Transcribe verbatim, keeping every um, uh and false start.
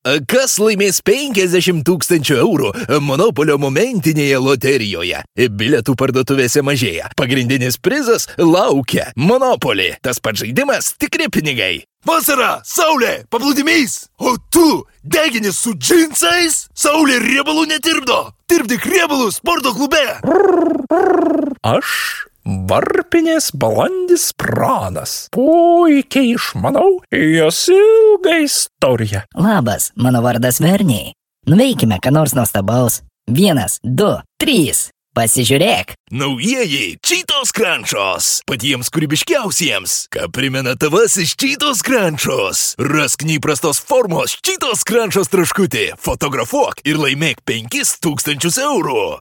Kas laimės penkiasdešimt tūkstančių eurų Monopolio momentinėje loterijoje? Bilietų parduotuvėse mažėja. Pagrindinis prizas laukia. Monopoly. Tas pats žaidimas, tikri pinigai. Vasara, saulė, paplūdimys. O tu degini su džinsais? Saulė riebalų netirpdo. Tirpdyk riebalų sporto klube. Aš varpinės balandis pranas. Puikiai išmanau jos ilgą istoriją. Labas, mano vardas Verniai. Nuveikime, ką nors nuostabaus. Vienas, du, trys. Pasižiūrėk. Naujieji Cheetos Crunchos. Patiems kūrybiškiausiems. Ką primena tavasis Cheetos Crunchos. Rask neįprastos formos Cheetos Crunchos traškutį. Fotografuok ir laimėk penkis tūkstančius eurų.